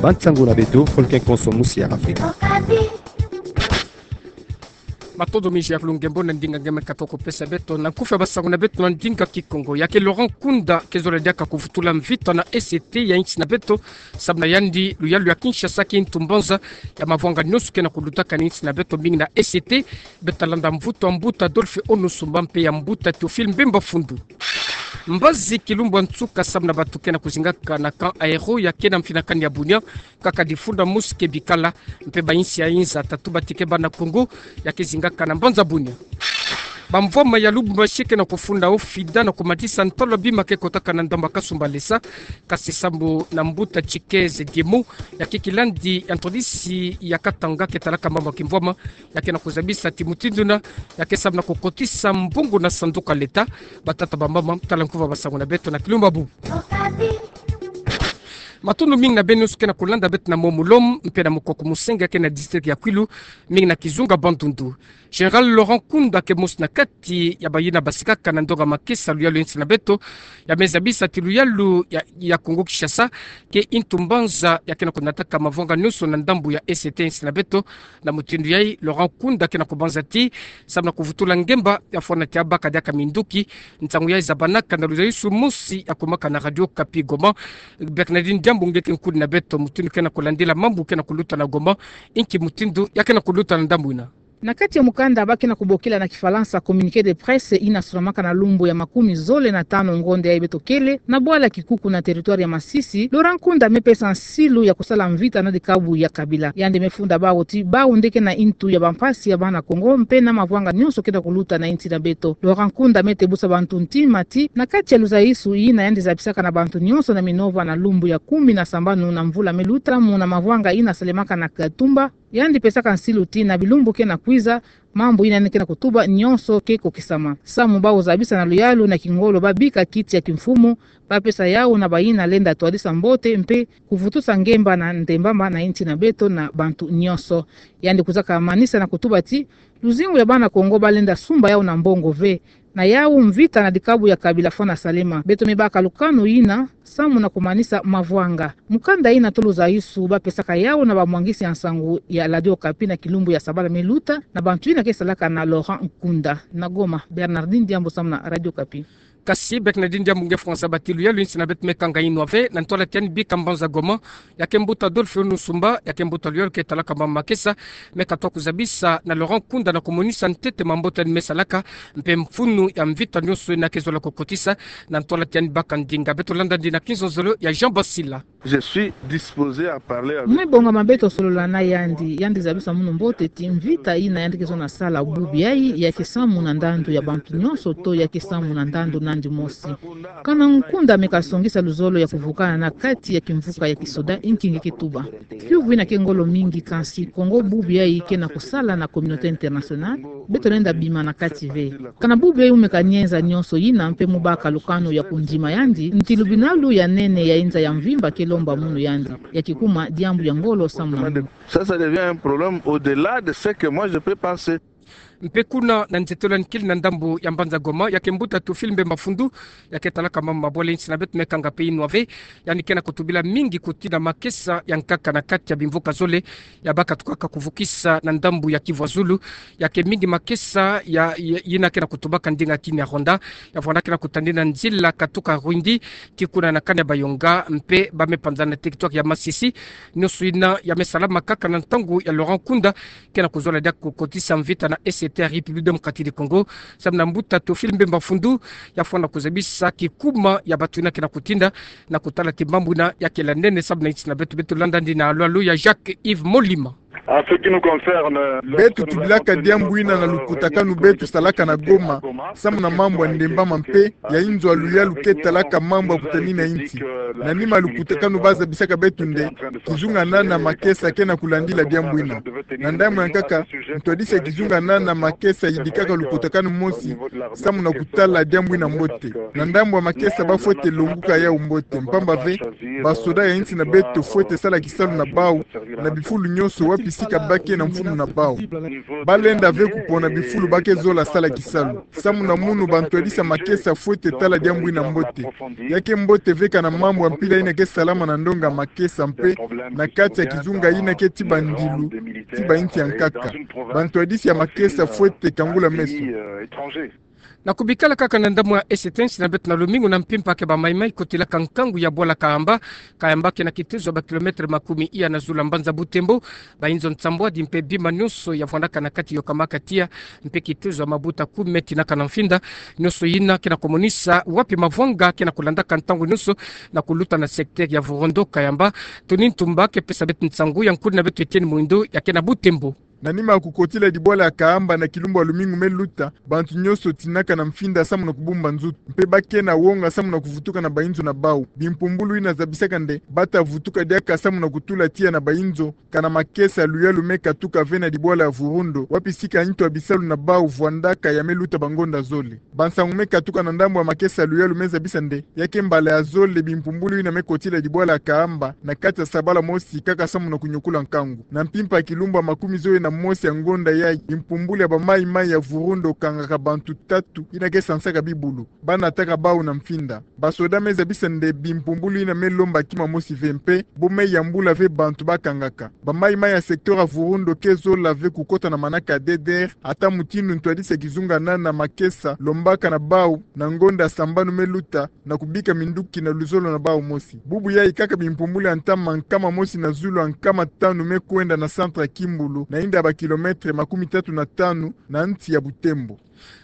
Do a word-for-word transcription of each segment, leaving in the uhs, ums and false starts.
Ba nsangu na beto, Folken Konso, musi ya Afrika. Matondo mingi ya kulungembo na ndinga nge me katuka kupesa beto na nkufi ya basangu na beto na ndinga Kikongo. Ya ke Laurent Nkunda ke zola diaka kuvutula mvita na E C T ya insi na beto, samu na yandi luyalu ya Kinshasa ke ntu mbanza ya mavwanga nyonso ke na kulutaka na insi na beto, mingi na E C T, beto talanda mvutu ya mbuta Adolphe Ono Sumba mpe ya mbuta Théophile Mbemba Fundu. Mbazi kilumbu ya nsuka samu na bato ke na kuzingaka na camp aéro ya ke na mfinakani ya Bunia, kaka difunda mosi ke bikala, mpe ba insi ya inza tatu ba tike bana Kongo ya ke zingaka na mbanza Bunia. Bamvwama ya Lubumbashi ke na kufunda ofida na kumadisa ntalo ya bima ke kotaka na ndambu ya Kasumbalesa, kasi samu na mbuta Chikeze Diemo, ya ke kilandi ya ntwadisi ya Katanga ke talaka mama kimvwama, ya ke na kuzabisa ti mutindu yina ya ke samu na kukotisa mbongo na sanduku ya leta. Batata, bamama, tala nkufi ya basangu na beto na kilumbu ya bubu. Matondo mingi na beno nyonso ke na kulanda beto na Momulom mpe na Mukoko Musenga ke na district ya Kwilu, mingi na kizunga Bandundu. Général Laurent Nkunda ke mosi na kati ya bayina basikaka na ndonga makesa luyalu ya insi na beto, ya me zabisa ti luyalu ya, ya Kongo Kinshasa ke ntu mbanza ya ke na kunataka mavwanga nyonso na ndambu ya E C T ya insi na beto. Na mutindu yayi, Laurent Nkunda ke na kubanza ti samu na kuvutula ngemba, ya fwana ti abaka diaka minduki. Nsangu yayi zabanaka na luzaisu mosi ya kumaka na Radio Okapi Goma. Bernardine Diambu nge ke nkudi na beto, mutindu ke na kulandila mambu ke na kuluta na Goma, inki mutindu ya ke na kuluta na ndambu yina. Na kati ya mukanda ba ke na kubokila na Kifalansa communiqué de presse yina solamaka na lumbu ya makumi zole na tanu ngonde yayi beto kele, na bwala Kikuku na territoire ya Masisi, Laurent Nkunda me pesa nsilu ya kusala mvita na dikabu ya Kabila. Yandi me funda bawu ti bawu nde ke na ntu ya bampasi ya bana Kongo mpe na mavwanga nyonso ke na kuluta na insi na beto. Laurent Nkunda me tebusa bantu ntima ti na kati ya luzaisu yina yandi zabisaka na bantu nyonso na Minova na lumbu ya kumi na sambanu na mvula me luta, muna mavwanga yina salemaka na Katumba, yandi pesaka nsilu ti na bilumbu ke na kwiza, mambu yina yandi ke na kutuba nyonso ke kokisama. Samu bawu zabisa na luyalu na kingolo ba bika kiti ya kimfumu, ba pesa yawu na bayina lenda twadisa mbote mpe kuvutusa ngemba na ndembama na insi na beto na bantu nyonso. Yandi kwiza kamanisa na kutuba ti luzingu ya bana Kongo ba lenda sumba yawu na mbongo ve. Na yawu mvita na dikabu ya Kabila fwana salema. Beto me baka lukanu yina samu na kumanisa mavwanga. Mukanda yina to luzaisu ba pesaka yawu na bamwangisi ya nsangu ya Radio Okapi na kilumbu ya sabala me luta, na bantu yina ke salaka na Laurent Nkunda. Na Goma, Bernardine Diambu samu na Radio Okapi. Kasi Bernardine Diambu nge fwanza ba ti luyalu ya insi na beto me kanga yinwa ve, na ntwala ti yandi bika mbanza Goma, ya ke mbuta Adolphe Ono Sumba, ya ke mbuta luyalu ke talaka mama makesa, me katuka kuzabisa na Laurent Nkunda na kumonisa ntete mambote yandi me salaka, mpe mfunu ya mvita nyonso yina ke zola kukotisa, na ntwala ti yandi baka ndinga. Beto landa yandi na kinzonzolo ya Jean Basila. Je suis disposé à parler avec lui. Me bongama beto solola na yandi, yandi zabisa munu mbote ti mvita yina yandi ke zona sala bubu yayi, ya ke samu na ndandu ya bantu nyonso to ya ke samu na ndandu na yandi mosi. Kana Nkunda me kasongisa luzolo ya kuvukana na kati ya kimvuka ya kisoda, inki nge ke tuba. Kiuvu yina ke ngolo mingi, kansi Kongo bubu yayi ke na kusala na communauté internationale, beto lenda bima na kati ve. Kana bubu yayi mu me kanienza nyonso yina mpe mu baka lukanu ya kundima yandi, nti lubinalu ya nene ya inza ya mvimba ke lomba munu yandi, ya kikuma diambu ya ngolo samu na munu. Ça, ça devient un problème au-delà de ce que moi je peux penser. Mpe kuna na nzietolo ya nkili na ndambu ya mbanza Goma, ya ke mbuta Théophile Mbemba Fundu, ya ke talaka mama mabwala ya insi na beto me kanga mpe yinwa ve, yandi ke na kutubila mingi kutina makesa ya nkaka na kati ya bimvuka zole, ya ba katukaka kuvukisa na ndambu ya Kivu ya Zulu, ya ke mingi makesa ya, ya, yina ke na kutubaka ndinga kini ya Rwanda, ya fwana ke na kutandina nzila katuka Rwindi, tii kuna na kani ya Bayonga, mpe ba me panzana na territoire ya Masisi, nyonso yina ya me salama kaka na ntangu ya Laurent Nkunda ke na kuzola diaka kukotisa mvita na E C T ya République Démocratique du Congo, samu na mbuta Théophile Mbemba Fundu, ya fwana kuzabisa kikuma ya bato yina ke na kutinda, na kutala ti mambu yina ya kele ya nene samu na insi na beto. Beto landa yandi na alo alo ya Jacques Yves Molima. En ce qui nous concerne, beto tubilaka diambu yina na lukutakanu beto salaka na Goma, samu na mambu ya ndembama mpe ya inzo ya luyalu ke talaka mambu ya kutanina insi. Na nima lukutakanu ba zabisaka beto nde, kizungana na makesa ke na kulandila diambu yina. Na ndambu ya nkaka, ntwadisi ya kizungana na makesa yidikaka lukutakanu mosi, samu na kutala diambu yina mbote. Na ndambu ya makesa ba fwete longuka yawu mbote, mpamba ve, basoda ya insi na beto fwete sala kisalu na bawu, na bifulu nyonso wapi tika ba ke na mfunu na bau. Ba lenda ve kupona bifulu ba ke zola sala kisalu. Samu na munu ba ntwadisi ya makesa fwete tala diambu ina mbote. Ya ke mbote ve kana mambu ya mpila ina ke salama na ndonga makesa mpe na kati ya kizunga ina ke ti bandilu ti ba insi ya nkaka. Ba ntwadisi ya makesa fwete kangula meso. Na kubikala kaka na ndambu ya S T N, si na beto na lumingu na mpimpa ke ba maimai kotilaka nkangu ya bwala Kahamba. Kahamba ke na kitezo ya ba kilometre makumi iya na zulu ya mbanza Butembo. Ba inzo nsambwadi mpe bima nyonso ya vwandaka na kati yo kamaka tiya, mpe kitezo ya mabuta kumi me tinaka na mfinda. Nyonso ina ke na kumonisa wapi mavwanga ke na kulandaka ntangu nyonso na kuluta na secteur ya Vurondo Kahamba. Tony Ntumba ke pesa beto nsangu, ya nkulu na beto Etienne Mwindo ya ke na Butembo. Na nima ya kukotila dibwala ya Kahamba na kilumbu ya lumingu me luta, bantu nyonso tinaka na mfinda samu na kubumba nzutu, mpe ba ke na wonga samu na kuvutuka na ba inzo na bau. Bimpumbulu ina zabisaka nde ba ta vutuka diaka samu na kutula tiya na ba inzo, kana makesa luyalu me katuka ve na dibwala ya Vurondo, wapi sika intu ya bisalu na bau vwandaka ya me luta ba ngonda zole. Ba nsangu me katuka na ndambu ya makesa luyalu me zabisa nde ya ke mbala ya zole bimpumbulu ina me kotila dibwala ya Kahamba na kati ya sabala mosi kaka samu na kunyokula nkangu. Na mpimpa ya kilumbu ya makumi zole na mosi ya ngonda yayi, bimpumbulu ya ba maimai ya Vurondo kangaka bantu tatu ina ke sansaka bibulu. Ba nataka bau na mfinda. Ba soda me zabisa nde bimpumbulu ina me lomba kima mosi ve mpe bo me yambula ve bantu ba kangaka. Ba maimai ya secteur ya Vurondo ke zola ve kukota na manaka ya D D R, ata mutindu ntwadisi ya kizunga na na makesa lombaka na bau na ngonda sambanu me luta, na kubika minduki na luzolo na bau mosi. Bubu yayi kaka bimpumbulu ya ntama nkama mosi na zulu ya nkama tanu me kwenda na centre ya Kimbulu, na inda ya ba kilometre makumi tatu na tanu na nsi ya Butembo.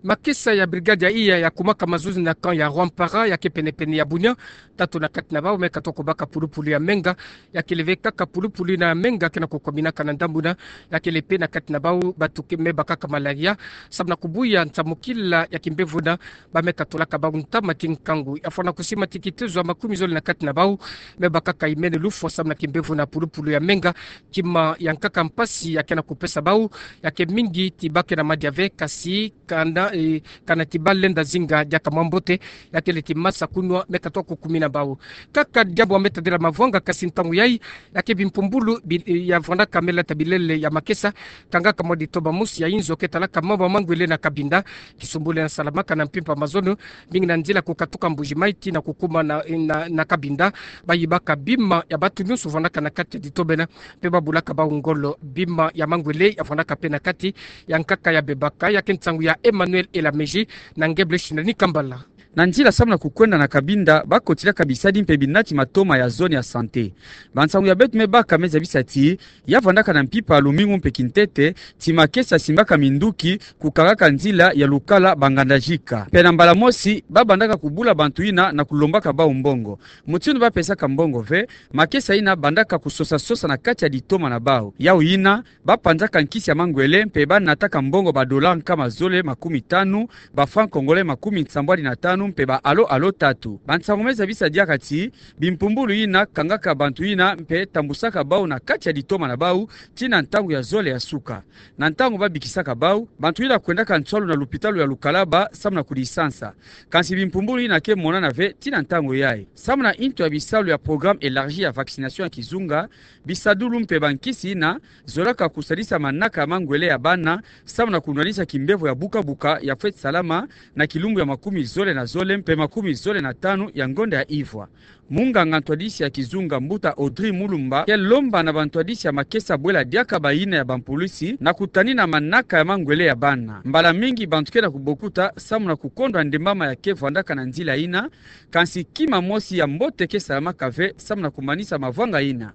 Makesa ya brigade ya iya ya kumaka mazozi na camp ya Rwampara ya ke pene-pene ya Bunia, tatu na kati na bau me katuka kubaka pulupulu ya menga. Ya kele ve kaka pulupulu ina ya menga ke na kukwaminaka na ndambu ina. Ya kele mpe na kati na bau batu ke me bakaka malaria samu na kubuya nsamukila ya kimbevo ina. Ba me katulaka bau ntama ti nkangu. Ya fwana kusima ti kitezo ya makumi zole na kati na bau me bakaka imene lufwa samu na kimbevo ina pulupulu ya menga. Kima ya nkaka mpasi ya ke na kupesa bau ya ke mingi ti ba ke na madia ve, kasi kana, eh, kana ti ba lenda zinga diaka mwa mbote, ya kele ti masa kunwa me katuka kukumina bau. Kaka diambu ya me tadila mavwanga, kasi ntangu yayi ya ke bimpumbulu bi-, eh, ya vwandaka me lata bilele ya makesa kangaka mwa ditoba mosi ya inzo ke talaka mambu ya mangwele na Kabinda. Kisumbulu ina salamaka na mpimpa mazono, mingi na nzila kukatuka Mbuji-Mayi tii na kukuma na, na, na Kabinda. Ba yibaka bima ya batu nyonso vwandaka na kati ya ditoba ina, mpe ba bulaka bau ngolo. Bima ya mangwele ya vwandaka mpe na kati ya nkaka ya bebaka. Ya ke nsangu ya Emmanuel Elameji na Ngebel Shinani Kambala. Na nzila samu na kukwenda na Kabinda, ba kotilaka bisadi mpe binati matoma ya zone ya santé. Ba nsangu ya beto me baka me zabisa ti ya vwandaka na mpimpa ya lumingu mpe kintete ti makesa simbaka minduki kukangaka nzila ya lukala Banganda-Jika. Mpe na mbala mosi ba bandaka kubula bantu ina na kulombaka bau mbongo. Mutindu ba pesaka mbongo ve, makesa ina bandaka kusosa-sosa na kati ya ditoma na bau. Yau ina ba panzaka nkisi ya mangwele mpe ba nataka mbongo ba dollars nkama zole makumi tanu, ba francs congolais makumi nsambwadi na tanu mpe ba alo-alo tatu. Ba nsangu me zabisa diaka ti bimpumbulu ina kangaka bantu ina mpe tambusaka bau na kati ya ditoma na bau tii na ntangu ya zole ya suka. Na ntangu ba bikisaka bau, bantu ina kwendaka nswalu na lupitalu ya Lukalaba samu na kudisansa. Kansi bimpumbulu ina ke monana ve tii na ntangu yayi. Samu na intu ya bisalu ya programme élargi ya vaccination ya kizunga, bisadulu mpe bankisi ina zolaka kusadisa manaka ya mangwele ya bana samu na kunwanisa kimbevo ya buka-buka ya fweti salama na kilumbu ya makumi zole na zole mpe makumi zole na tanu ya ngonda ya ivwa. Munganga ntwadisi ya kizunga, mbuta Audrey Mulumba, ke lomba na bantwadisi ya makesa bwela diaka bayina ya bampulisi na kutanina manaka ya mangwele ya bana. Mbala mingi bantu ke na kubokuta samu na kukondwa ndembama ya ke vwandaka na nzila ina, kansi kima mosi ya mbote ke salamaka ve samu na kumanisa mavwanga ina.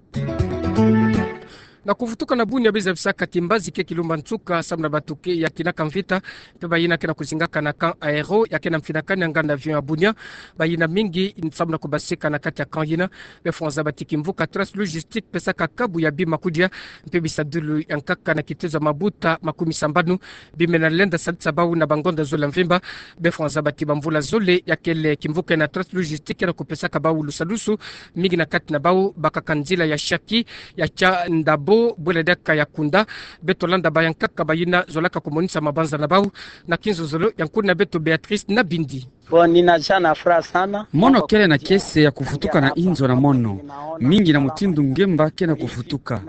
Na kuvutuka na Bunia, ba zabisaka ti mbazi ke kilumba nsuka samu na batu ke yakinaka mvita mpe bayina ke na kuzingaka na camp Aéro ya ke na mfinakani ya nganda avion ya Bunia. Bayina mingi samu na kubasika na kati ya camp yina. Be fwanza ba ti kimvuka Trace Logistique pesaka kabu ya bima kudia mpe bisadulu ya nkaka na kitezo ya mabuta makumi sambanu. Bima ina lenda sadisa bau na bangonda zole ya mvimba. Be fwanza ba ti bamvula zole ya kele kimvuka na Trace Logistique ke na kupesaka bau lusadusu, mingi na kati na bau bakaka nzila ya Shaki, ya Tchandabo, bwela diaka ya Kunda. Beto landa ba ya nkaka bayina zolaka kumonisa mabanza na bau na kinzonzolo. Ya nkulu na beto Béatrice Nabindi. Bon, nina jana fra sana. Mono kele na kiese ya kuvutuka na inzo na mono, mingi na mutindu ngemba ke na kuvutuka.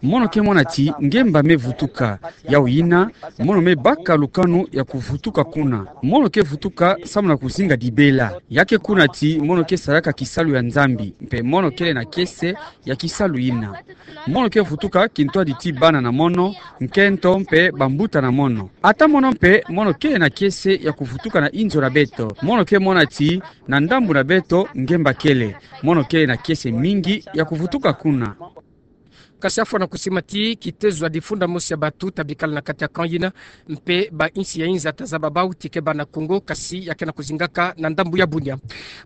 Mono ke mona ti ngemba me vutuka. Yawu yina, mono me baka lukanu ya kuvutuka kuna. Mono ke vutuka samu na kuzinga dibela. Ya ke kuna ti mono ke salaka kisalu ya Nzambi, mpe mono kele na kiese ya kisalu yina. Mono ke vutuka kintwadi ti bana na mono, nkento mpe bambuta na mono. Ata mono mpe mono kele na kiese ya kuvutuka na inzo na beto. Mono ke mona ti na ndambu na beto ngemba kele. Mono kele na kiese mingi ya kuvutuka kuna. Kasi afwa na kusima ti kitezo ya difunda mosi ya batu ta bikala na kati ya camp yina, mpe bainsi ya inza ta zaba bau ti keba na Congo, kasi ya ke na kuzingaka na ndambu ya Bunia.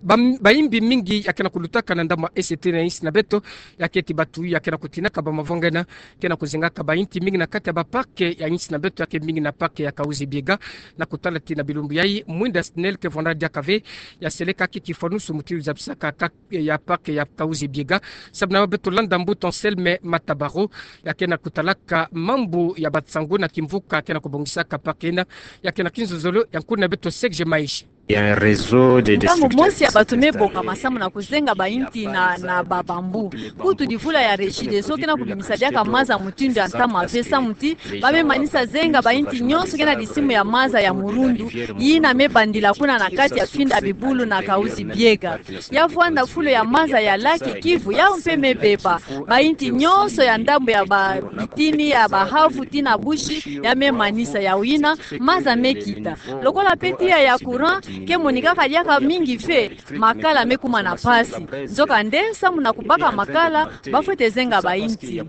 Ba, baimbi mingi ya ke na kulutaka na ndambu ya Est na insi na beto, ya ke ti batu ya ke na kutinaka bamavanga yina ke na kuzingaka bainti mingi na kati ya baparc ya insi na beto, ya ke mingi na parc ya Kahuzi-Biega. Na kutala ti na bilumbu yayi, mwinda SNEL ke vwanda diaka ve ya seleka kiki fwanusu mutindu zabisaka ka ya parc ya Kahuzi-Biega. Samu na beto landa mbuta Anselme Matabaro, ya ke na kutalaka mambu ya bansangu na kimvuka ke na kubongisaka parc yina, ya ke na kinzonzolo ya nkuna beto Serge Maishi. Il y a un réseau de destructeurs. Ntangu mosi ya batu me bongama samu na kuzenga bainti na, na babambu. Kutu divula ya Regideso ke na kubimisa diaka maza mutindu ya ntama ve samu ti ba me manisa zenga bainti nyonso ke na disimu ya maza ya murundu, yina me bandila kuna na kati ya finda bibulu na Kahuzi-Biega. Ya vwanda fulu ya maza ya lac Kivu, yawu mpe me beba. Bainti nyonso ya ndambu ya ba bitini, ya bahavu, tii na bushi, ya me manisa. Yawu yina, maza me kita. Lokola mpe tiya ya courant ke monikaka diaka mingi ve, makala me kuma na mpasi. Nzokande, samu na kubaka makala, ba fwete zenga bainti.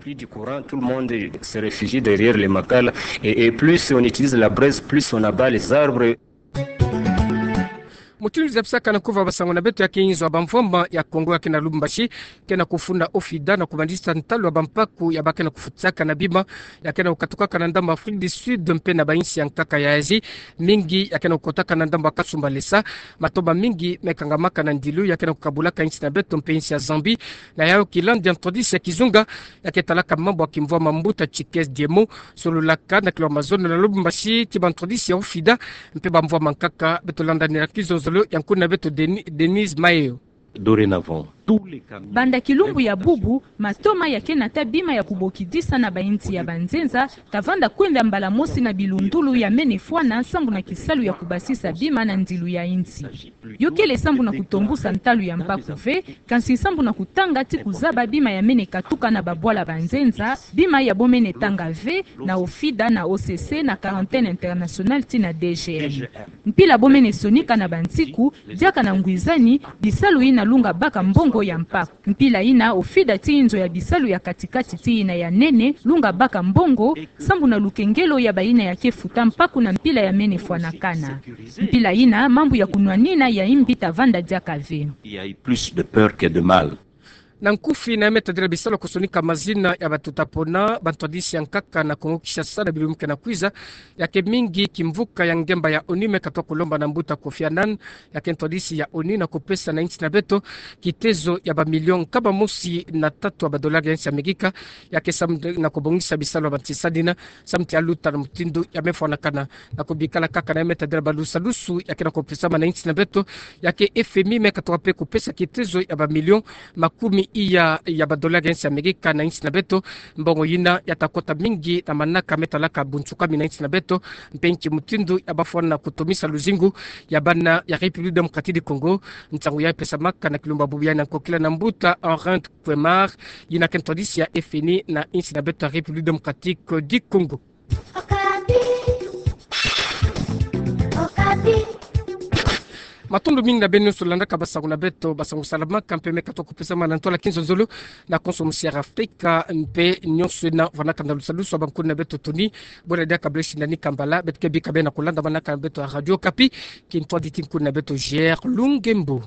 Tout le monde se réfugie derrière les makala. Et, et plus on utilise la braise, plus on abat les arbres. Mutindu zabisaka na kuva basangu na beto, ya ke inzo ya bamvwama ya Congo ya ke na Lubumbashi ke na kufunda OFIDA na kubandisa ntalu ya bampaku ya ba ke na kufutisaka na bima ya ke na kukatukaka na ndambu ya Afrique du Sud mpe na bainsi ya nkaka ya Asie. Mingi ya ke na kukotaka na ndambu ya Kasumbalesa. Matomba mingi me kangamaka na ndilu ya ke na kukabulaka insi na beto mpe insi ya Zambie. Na yayo kilandi ya ntwadisi ya kizunga ya ke talaka mambu ya kimvwama, mbuta Tshikez Diemo sololaka na kilo ya mazono na Lubumbashi ti bantwadisi ya OFIDA mpe bamvwama nkaka. Beto landa nina kinzonzolo ya nkuna beto Deni-, Denise Mayo. Dorénavant, tous les camions. Banda kilumbu ya bubu, matoma ya ke nata bima ya kubokidisa na bainsi ya banzenza ta vanda kwenda mbala mosi na bilundulu ya mene fwana sambu na kisalu ya kubasisa bima na ndilu ya insi. Yo kele sambu na kutombusa ntalu ya mpaku ve, kansi sambu na kutanga ti kuzaba bima ya mene katuka na babwala banzenza, bima ya bo mene tanga ve na OFIDA, na OCC, na Quarantaine Internationale tii na D G M. Mpila bo mene sonika na bansiku, diaka na ngwizani, bisalu yina lunga baka mbongo ya mpaku. Mpila yina OFIDA tii nzo ya bisalu ya katikati tii yina ya nene, lunga baka mbongo, sambu na lukengelo ya bayina ya ke futa mpaku na mpila ya mene fwanakana. Mpila yina, mambu ya kunwanina ya imbi ta vanda diaka ve. Il y a eu plus de peur que de mal. Na nkufi na ya me tadila bisalu ya kusonika mazina ya batu ta pona bantwadisi ya nkaka na Congo Kinshasa na bilumbu ke na kwiza, ya ke mingi kimvuka ya ngemba ya ONU me katuka kulomba na mbuta Kofi Annan, ya ke ntwadisi ya ONU, na kupesa na insi na beto kitezo ya bamilio nkama mosi na tatu ya badolari ya insi ya Amerika, ya ke samu na kubongisa bisalu ya bantisadina, samu ti ya luta na mutindu ya me fwanakana. Na kubikala kaka na ya me tadila balusalusu ya ke na kupesama na insi na beto, ya ke FMI me katuka mpe kupesa kitezo ya bamilio makumi iya ya badolari ya insi ya Amerika na insi na beto. Mbongo yina ya ta kota mingi na manaka me talaka bunsukami na insi na beto, mpe nki mutindu ya bafwana kutomisa luzingu ya bana ya République Démocratique du Congo. Nsangu ya pesamaka na kilumbu ya bubu yayi na nkokila na mbuta Henri Kwemar, yina ke ntwadisi ya FMI na insi na beto ya République Démocratique du Congo. Matondo mingi na beno nyonso landaka basangu na beto, basangu salamaka mpe me katuka kupesama na ntwala kinzonzolo na konso mosi ya Afrika, mpe nyonso yina vwanaka na lusalusu ya bankuni na beto Tony. Bwena diaka bule sindani kambala, beto ke bika bena kulanda manaka na beto ya Radio Okapi, kintwadi ti nkuni na beto J R Lungembo.